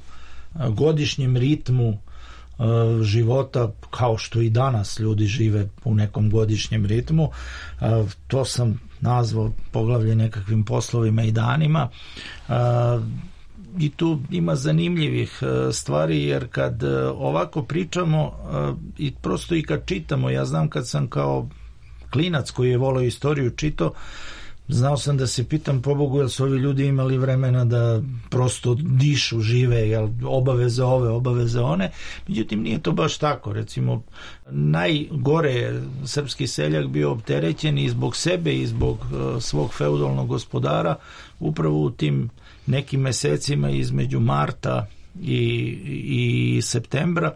godišnjem ritmu života, kao što i danas ljudi žive u nekom godišnjem ritmu. To sam nazvao poglavlje nekakvim poslovima i danima. I tu ima zanimljivih stvari, jer kad ovako pričamo i prosto i kad čitamo, ja znam kad sam kao klinac koji je volio istoriju čitao, znao sam da se pitam, pobogu, jel su ovi ljudi imali vremena da prosto dišu, žive, jel obaveze ove, obaveze one. Međutim, nije to baš tako. Recimo, najgore je srpski seljak bio opterećen i zbog sebe i zbog uh, svog feudalnog gospodara upravo u tim nekim mesecima između marta i, i septembra,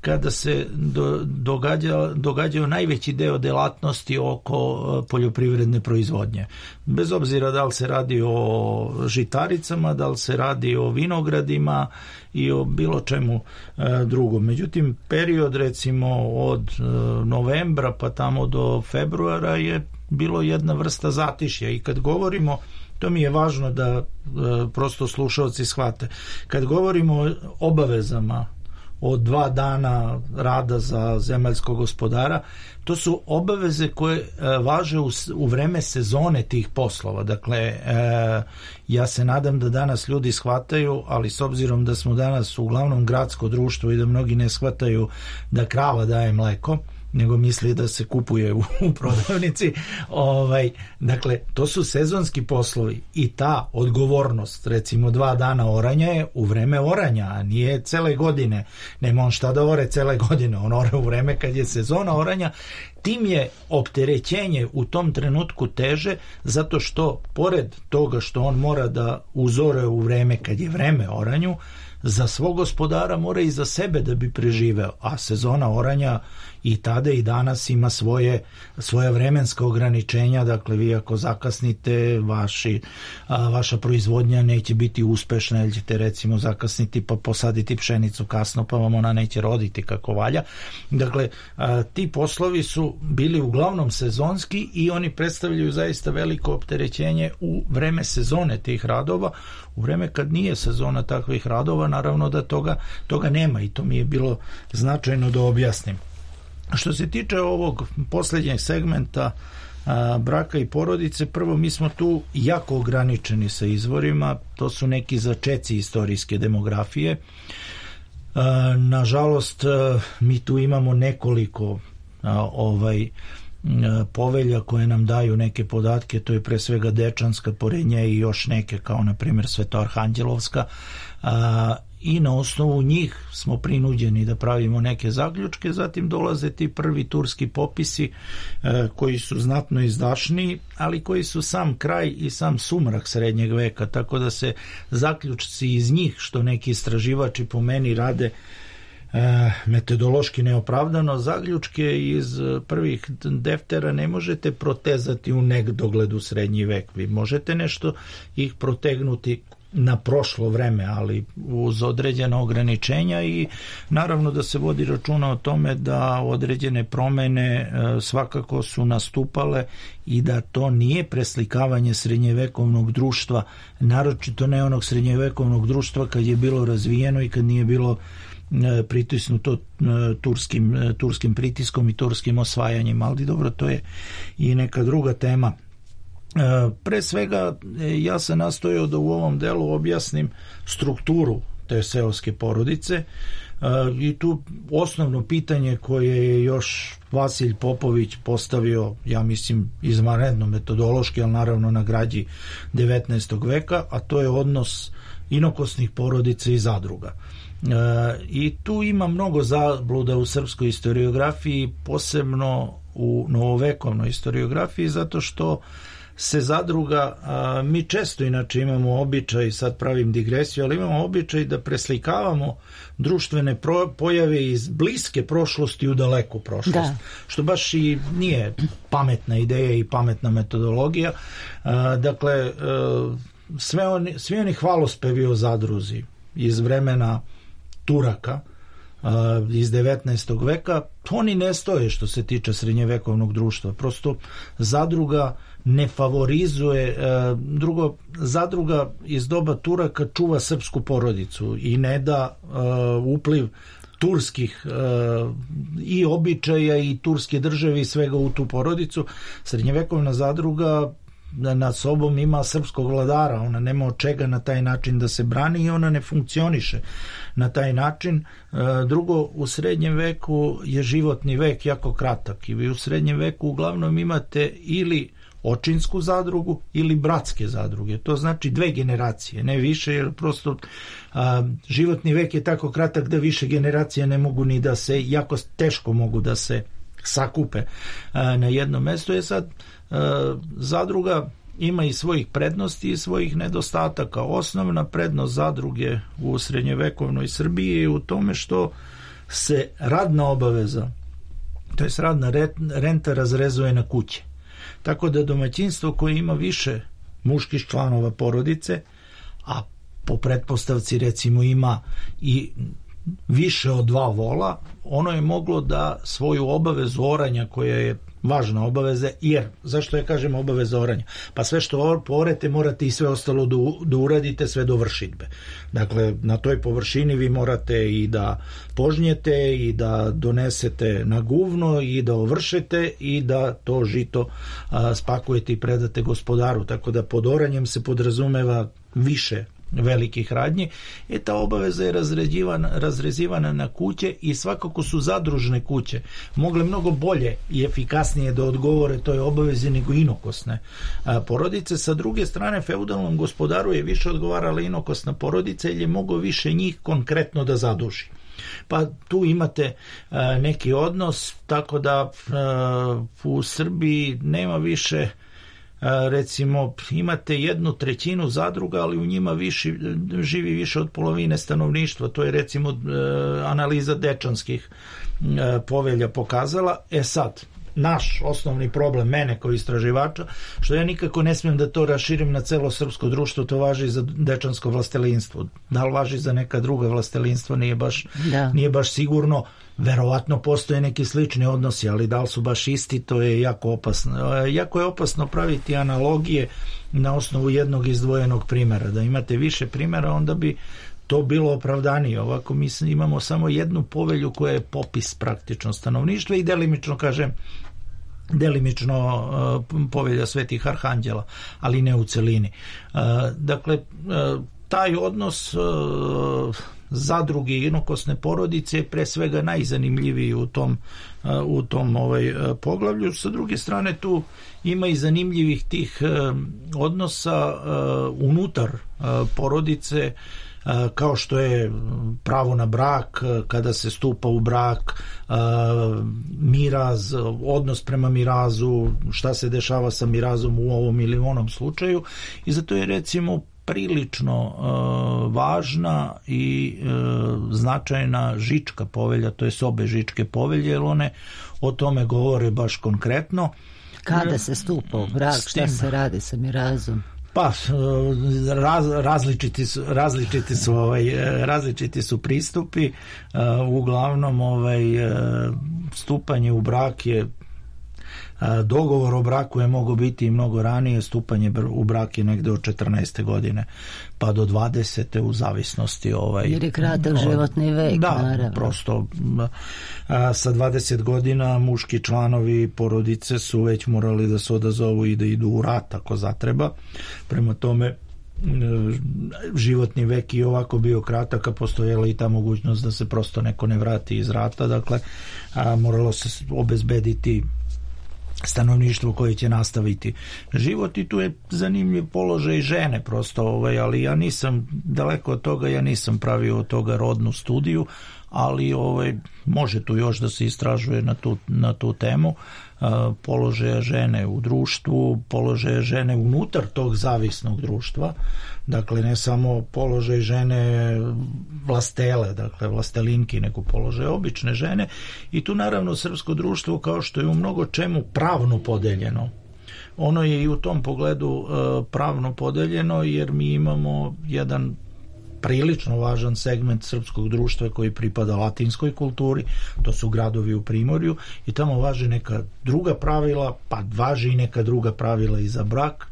kada se do, događa, događaju najveći deo delatnosti oko poljoprivredne proizvodnje. Bez obzira da li se radi o žitaricama, da li se radi o vinogradima i o bilo čemu e, drugom. Međutim, period recimo od e, novembra pa tamo do februara je bilo jedna vrsta zatišja i kad govorimo, to mi je važno da e, prosto slušalci shvate, kad govorimo o obavezama od dva dana rada za zemaljskog gospodara, to su obaveze koje e, važe u, u vreme sezone tih poslova. Dakle, e, ja se nadam da danas ljudi shvataju, ali s obzirom da smo danas uglavnom gradsko društvo i da mnogi ne shvataju da krava daje mleko, nego misli da se kupuje u, u prodavnici. Ovaj, dakle, to su sezonski poslovi i ta odgovornost, recimo dva dana oranja je u vreme oranja, a nije cele godine. Nema on šta da ore cele godine, on ore u vreme kad je sezona oranja. Tim je opterećenje u tom trenutku teže, zato što pored toga što on mora da uzore u vreme kad je vreme oranju, za svog gospodara mora i za sebe da bi preživeo, a sezona oranja i tada i danas ima svoje, svoje vremenska ograničenja. Dakle, vi ako zakasnite, vaši, a, vaša proizvodnja neće biti uspešna, ili ćete recimo zakasniti pa posaditi pšenicu kasno, pa vam ona neće roditi kako valja. Dakle, a, ti poslovi su bili uglavnom sezonski i oni predstavljaju zaista veliko opterećenje u vreme sezone tih radova. U vreme kad nije sezona takvih radova, naravno da toga, toga nema i to mi je bilo značajno da objasnim. Što se tiče ovog posljednjeg segmenta a, braka i porodice, prvo mi smo tu jako ograničeni sa izvorima, to su neki začeci istorijske demografije. A, nažalost, a, mi tu imamo nekoliko a, ovaj povelja koje nam daju neke podatke, to je pre svega Dečanska, pored nje i još neke kao na primjer Svetoarhanđelovska, a, i na osnovu njih smo prinuđeni da pravimo neke zaključke. Zatim dolaze ti prvi turski popisi e, koji su znatno izdašniji, ali koji su sam kraj i sam sumrak srednjeg veka, tako da se zaključci iz njih, što neki istraživači po meni rade E, metodološki neopravdano, zaključke iz prvih deftera ne možete protezati u nedogled u srednji vek. Vi možete nešto ih protegnuti na prošlo vreme, ali uz određena ograničenja i naravno da se vodi računa o tome da određene promene e, svakako su nastupale i da to nije preslikavanje srednjevekovnog društva, naročito ne onog srednjevekovnog društva kad je bilo razvijeno i kad nije bilo pritisnuto turskim, turskim pritiskom i turskim osvajanjem, ali dobro, to je i neka druga tema. Pre svega ja sam nastojao da u ovom delu objasnim strukturu te seoske porodice i tu osnovno pitanje koje je još Vasilj Popović postavio, ja mislim izvanredno metodološki, ali naravno na građi devetnaestog veka, a to je odnos inokosnih porodica i zadruga. I tu ima mnogo zabluda u srpskoj historiografiji, posebno u novovekovnoj historiografiji, zato što se zadruga, a, mi često inače imamo običaj, sad pravim digresiju, ali imamo običaj da preslikavamo društvene pro, pojave iz bliske prošlosti u daleku prošlost, da. Što baš i nije pametna ideja i pametna metodologija. A, dakle, a, sve oni, svi oni hvalospevi o zadruzi iz vremena Turaka, iz devetnaestog veka, oni ne stoje što se tiče srednjevekovnog društva. Prosto zadruga ne favorizuje, drugo, zadruga iz doba Turaka čuva srpsku porodicu i ne da upliv turskih i običaja i turske države i svega u tu porodicu. Srednjevekovna zadruga nad sobom ima srpskog vladara, ona nema od čega na taj način da se brani i ona ne funkcioniše na taj način. Drugo, u srednjem veku je životni vek jako kratak i vi u srednjem veku uglavnom imate ili očinsku zadrugu ili bratske zadruge, to znači dve generacije, ne više, jer prosto a, životni vek je tako kratak da više generacije ne mogu ni da se, jako teško mogu da se sakupe a, na jednom mestu. Je sad a, zadruga ima i svojih prednosti i svojih nedostataka. Osnovna prednost zadruge u srednjevekovnoj Srbiji je u tome što se radna obaveza, to jest radna renta, razrezuje na kuće. Tako da domaćinstvo koje ima više muških članova porodice, a po pretpostavci recimo ima i više od dva vola, ono je moglo da svoju obavezu oranja, koja je važna obaveza, jer, zašto ja kažem obaveza oranja? Pa sve što porete morate i sve ostalo da, da uradite sve do vršidbe. Dakle, na toj površini vi morate i da požnjete i da donesete na guvno i da ovršete i da to žito a, spakujete i predate gospodaru. Tako da pod oranjem se podrazumeva više velikih radnji. E, ta obaveza je razrezivana, razrezivana na kuće i svakako su zadružne kuće mogle mnogo bolje i efikasnije da odgovore toj obavezi nego inokosne a, porodice. Sa druge strane, feudalnom gospodaru je više odgovarala inokosna porodica jer je mogao više njih konkretno da zaduži. Pa tu imate a, neki odnos, tako da a, u Srbiji nema više, recimo imate jednu trećinu zadruga, ali u njima više, živi više od polovine stanovništva. To je recimo analiza dečanskih povelja pokazala. E sad, naš osnovni problem, mene kao istraživača, što ja nikako ne smijem da to raširim na celo srpsko društvo, to važi za dečansko vlastelinstvo. Da li važi za neka druga vlastelinstva, nije baš, da. nije baš sigurno. Verovatno postoje neki slični odnosi, ali da li su baš isti, to je jako opasno. Jako je opasno praviti analogije na osnovu jednog izdvojenog primjera. Da imate više primjera, onda bi to bilo opravdanije. Ovako mi imamo samo jednu povelju koja je popis praktično stanovništva i delimično, kažem, delimično uh, povelja Svetih Arhanđela, ali ne u celini. Uh, dakle, uh, taj odnos uh, zadruge i inokosne porodice je pre svega najzanimljiviji u tom, uh, u tom ovaj, uh, poglavlju. Sa druge strane, tu ima i zanimljivih tih uh, odnosa uh, unutar uh, porodice, kao što je pravo na brak, kada se stupa u brak, miraz, odnos prema mirazu, šta se dešava sa mirazom u ovom ili onom slučaju, i zato je recimo prilično važna i značajna Žička povelja, to je obe Žičke povelje, jer one o tome govore baš konkretno. Kada se stupa u brak, šta se radi sa mirazom? Pa raz, različiti su različiti su ovaj različiti su pristupi. Uh, uglavnom ovaj stupanje u brak je Dogovor o braku je mogao biti i mnogo ranije, stupanje u brak je negde od četrnaeste godine pa do dvadesete u zavisnosti ovaj, jer je kratak životni vek, da, naravno. Prosto a, sa dvadeset godina muški članovi porodice su već morali da se odazovu i da idu u rat ako zatreba, prema tome životni vek i ovako bio kratak, a postojala i ta mogućnost da se prosto neko ne vrati iz rata, dakle a, moralo se obezbediti stanovništvo koje će nastaviti život i tu je zanimljiv položaj žene prosto, ovaj, ali ja nisam daleko od toga, ja nisam pravio od toga rodnu studiju, ali ovaj, može tu još da se istražuje na tu, na tu temu položaja žene u društvu, položaja žene unutar tog zavisnog društva, dakle ne samo položaj žene vlastele, dakle vlastelinki, nego položaj obične žene i tu naravno srpsko društvo kao što je u mnogo čemu pravno podeljeno. Ono je i u tom pogledu pravno podeljeno jer mi imamo jedan prilično važan segment srpskog društva koji pripada latinskoj kulturi, to su gradovi u Primorju i tamo važe neka druga pravila, pa važi i neka druga pravila i za brak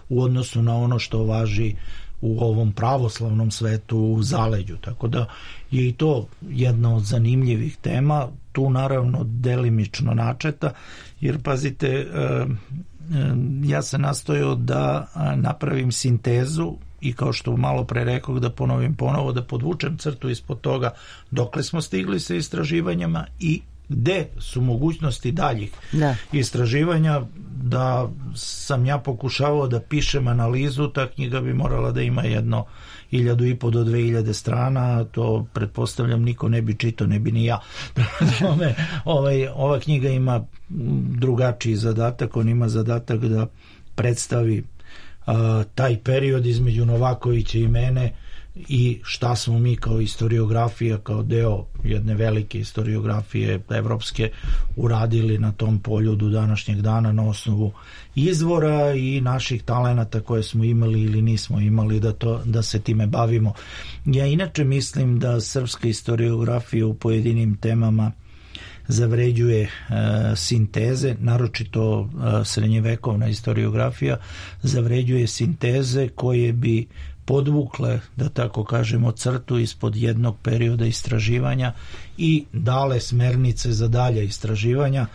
u odnosu na ono što važi u ovom pravoslavnom svetu u zaleđu, tako da je i to jedna od zanimljivih tema, tu naravno delimično načeta, jer pazite, ja sam nastojao da napravim sintezu i kao što malo pre rekao da ponovim ponovo, da podvučem crtu ispod toga dokle smo stigli sa istraživanjima i gde su mogućnosti daljih da. istraživanja, da sam ja pokušavao da pišem analizu, ta knjiga bi morala da ima jedno hiljadu i po do dve hiljade strana, to pretpostavljam niko ne bi čitao, ne bi ni ja. ovaj, ova knjiga ima drugačiji zadatak, on ima zadatak da predstavi a, taj period između Novakovića i mene i šta smo mi kao historiografija, kao deo jedne velike historiografije evropske uradili na tom polju do današnjeg dana na osnovu izvora i naših talenata koje smo imali ili nismo imali da, to, da se time bavimo. Ja inače mislim da srpska historiografija u pojedinim temama zavređuje e, sinteze, naročito e, srednjevekovna historiografija zavređuje sinteze koje bi podvukle, da tako kažemo, crtu ispod jednog perioda istraživanja i dale smernice za dalje istraživanja.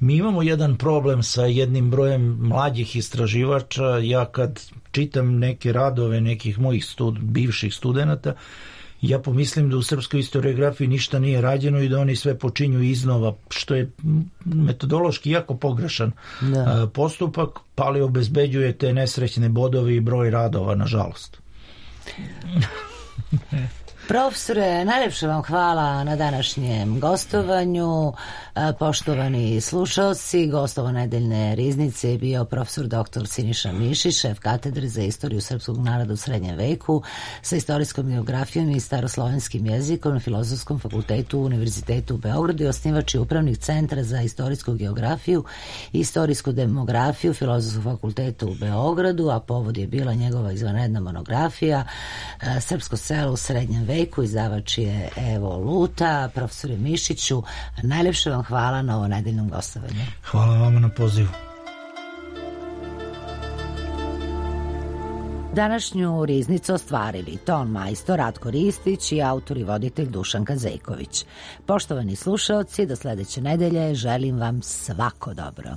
Mi imamo jedan problem sa jednim brojem mlađih istraživača. Ja kad čitam neke radove nekih mojih stud, bivših studenata, ja pomislim da u srpskoj historiografiji ništa nije rađeno i da oni sve počinju iznova, što je metodološki jako pogrešan da. postupak, pa li obezbeđuje te nesrećne bodove i broj radova, nažalost. Profesore, najlepše vam hvala na današnjem gostovanju. Poštovani slušalci, gostova nedeljne riznice je bio profesor doktor Siniša Mišić, šef katedre za istoriju srpskog naroda u srednjem veku sa istorijskom geografijom i staroslovenskim jezikom na Filozofskom fakultetu Univerzitetu u Beogradu i osnivač i upravnik Centra za istorijsku geografiju i istorijsku demografiju Filozofskog fakulteta u Beogradu, a povod je bila njegova izvanredna monografija Srpsko selo u srednjem veku, izdavač je Evo Luta. Profesore Mišiću, najlepše vam hvala na ovo nedeljnom gostovanju. Hvala vama na pozivu. Današnju riznicu ostvarili ton majstor Ratko Ristić i autor i voditelj Dušan Kazejković. Poštovani slušaoci, do sledeće nedelje želim vam svako dobro.